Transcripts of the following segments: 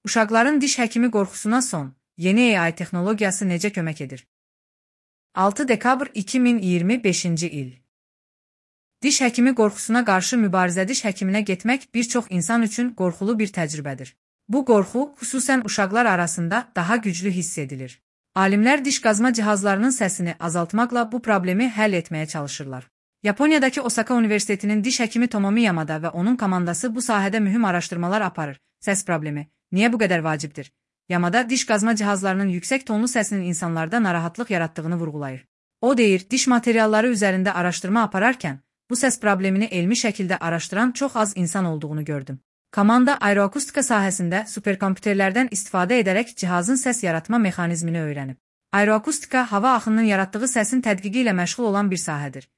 Uşaqların diş həkimi qorxusuna son, yeni AI texnologiyası necə kömək edir? 6 dekabr 2025-ci il. Diş həkimi qorxusuna qarşı mübarizə. Diş həkiminə getmək bir çox insan üçün qorxulu bir təcrübədir. Bu qorxu, xüsusən uşaqlar arasında daha güclü hiss edilir. Alimlər diş qazma cihazlarının səsini azaltmaqla bu problemi həll etməyə çalışırlar. Yaponiyadakı Osaka Universitetinin diş həkimi Tomomi Yamada və onun komandası bu sahədə mühüm araşdırmalar aparır. Səs problemi niyə bu qədər vacibdir? Yamada diş qazma cihazlarının yüksək tonlu səsinin insanlarda narahatlıq yaratdığını vurğulayır. O deyir, diş materialları üzərində araşdırma apararkən, bu səs problemini elmi şəkildə araşdıran çox az insan olduğunu gördüm. Komanda aeroakustika sahəsində superkompüterlərdən istifadə edərək cihazın səs yaratma mexanizmini öyrənib. Aeroakustika hava axınının yaratdığı səsin tədqiqi ilə məşğul olan bir sahədir.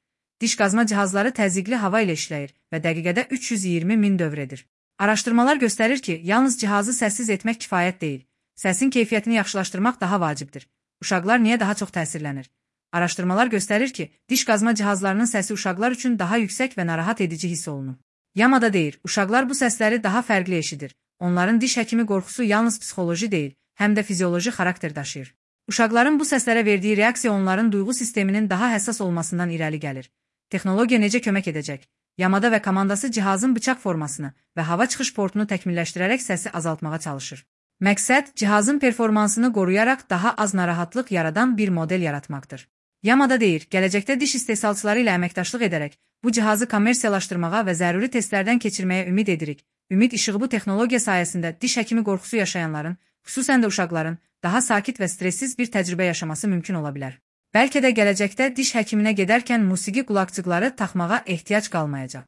Diş qazma cihazları təzyiqli hava ilə işləyir və dəqiqədə 320 min dövr edir. Araşdırmalar göstərir ki, yalnız cihazı səssiz etmək kifayət deyil. Səsin keyfiyyətini yaxşılaşdırmaq daha vacibdir. Uşaqlar niyə daha çox təsirlənir? Araşdırmalar göstərir ki, diş qazma cihazlarının səsi uşaqlar üçün daha yüksək və narahat edici hiss olunur. Yamada deyir, uşaqlar bu səsləri daha fərqli eşidir. Onların diş həkimi qorxusu yalnız psixoloji deyil, həm də fizioloji xarakter daşıyır. Uşaqların bu səslərə verdiği reaksiya onların duyğu sisteminin daha həssas olmasından irəli gəlir. Texnologiya necə kömək edəcək? Yamada və komandası cihazın bıçaq formasını və hava çıxış portunu təkmilləşdirərək səsi azaltmağa çalışır. Məqsəd, cihazın performansını qoruyaraq daha az narahatlıq yaradan bir model yaratmaqdır. Yamada deyir, gələcəkdə diş istehsalçıları ilə əməkdaşlıq edərək, bu cihazı kommersiyalaşdırmağa və zəruri testlərdən keçirməyə ümid edirik. Ümid işığı bu texnologiya sayəsində diş həkimi qorxusu yaşayanların, xüsusən də uşaqların, daha sakit və stressiz bir təcrübə yaşaması mümkün ola bilər. Bəlkə də gələcəkdə diş həkiminə gedərkən musiqi qulaqcıqları taxmağa ehtiyac qalmayacaq.